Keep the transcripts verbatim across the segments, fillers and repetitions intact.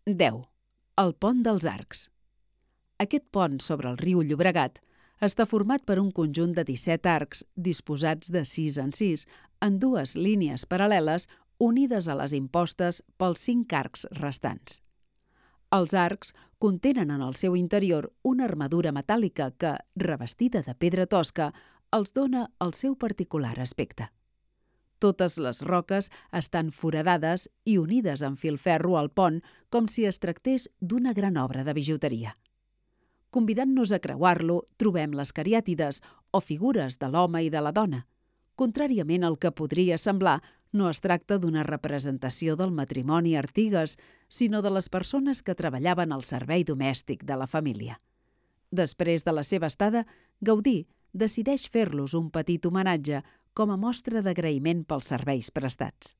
deu. El pont dels Arcs. Aquest pont sobre el riu Llobregat està format per un conjunt de disset arcs disposats de sis en sis en dues línies paral·leles unides a les impostes pels cinc arcs restants. Els arcs contenen en el seu interior una armadura metàl·lica que, revestida de pedra tosca, els dona el seu particular aspecte. Totes les roques estan foradades i unides amb filferro al pont com si es tractés d'una gran obra de bijuteria. Convidant-nos a creuar-lo, trobem les cariàtides, o figures de l'home i de la dona. Contràriament al que podria semblar, no es tracta d'una representació del matrimoni Artigas, sinó de les persones que treballaven al servei domèstic de la família. Després de la seva estada, Gaudí decideix fer-los un petit homenatge com a mostra d'agraïment pels serveis prestats.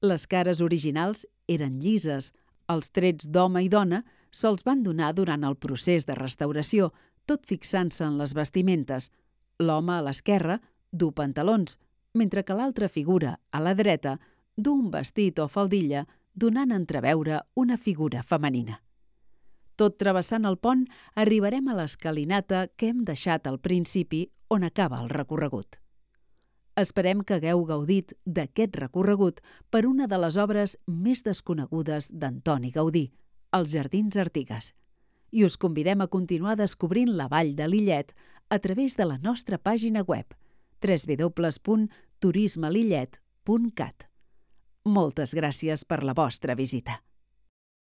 Les cares originals eren llises, els trets d'home i dona se'ls van donar durant el procés de restauració, tot fixant-se en les vestimentes. L'home a l'esquerra du pantalons, mentre que l'altra figura, a la dreta, du un vestit o faldilla, donant a entreveure una figura femenina. Tot travessant el pont, arribarem a l'escalinata que hem deixat al principi on acaba el recorregut. Esperem que hagueu gaudit d'aquest recorregut per una de les obres més desconegudes d'Antoni Gaudí, els Jardins Artigas, i us convidem a continuar descobrint la vall de Lillet a través de la nostra pàgina web w w w punt turisme lillet punt cat. Moltes gràcies per la vostra visita.